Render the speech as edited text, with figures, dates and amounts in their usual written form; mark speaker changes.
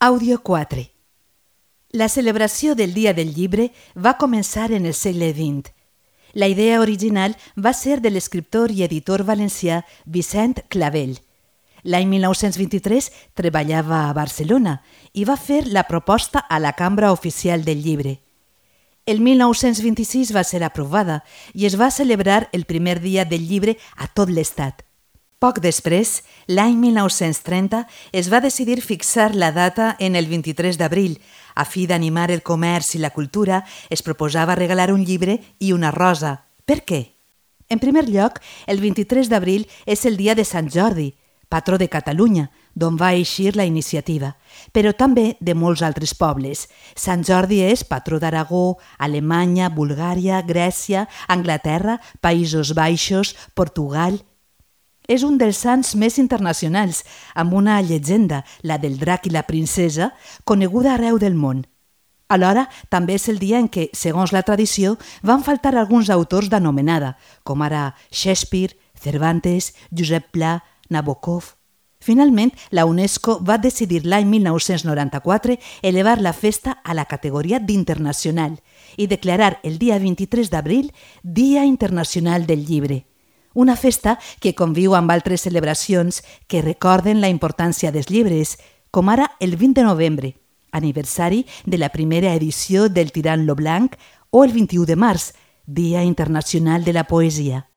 Speaker 1: Àudio 4. La celebració del Dia del Llibre va començar en el segle XX. La idea original va ser de l'escriptor i editor valencià Vicent Clavel. L'any 1923 treballava a Barcelona i va fer la proposta a la Cambra Oficial del Llibre. El 1926 va ser aprovada i es va celebrar el primer dia del llibre a tot l'Estat. Poc després, l'any 1930, es va decidir fixar la data en el 23 d'abril. A fi d'animar el comerç i la cultura, es proposava regalar un llibre i una rosa. Per què? En primer lloc, el 23 d'abril és el dia de Sant Jordi, patró de Catalunya, d'on va eixir la iniciativa, però també de molts altres pobles. Sant Jordi és patró d'Aragó, Alemanya, Bulgària, Grècia, Anglaterra, Països Baixos, Portugal. És un dels sants més internacionals, amb una llegenda, la del drac i la princesa, coneguda arreu del món. Alhora, també és el dia en què, segons la tradició, van faltar alguns autors d'anomenada, com ara Shakespeare, Cervantes, Josep Pla, Nabokov. Finalment, la UNESCO va decidir l'any 1994 elevar la festa a la categoria d'internacional i declarar el dia 23 d'abril Dia Internacional del Llibre. Una festa que conviu amb altres celebracions que recorden la importància dels llibres, com ara el 20 de novembre, aniversari de la primera edició del Tirant lo Blanc, o el 21 de març, Dia Internacional de la Poesia.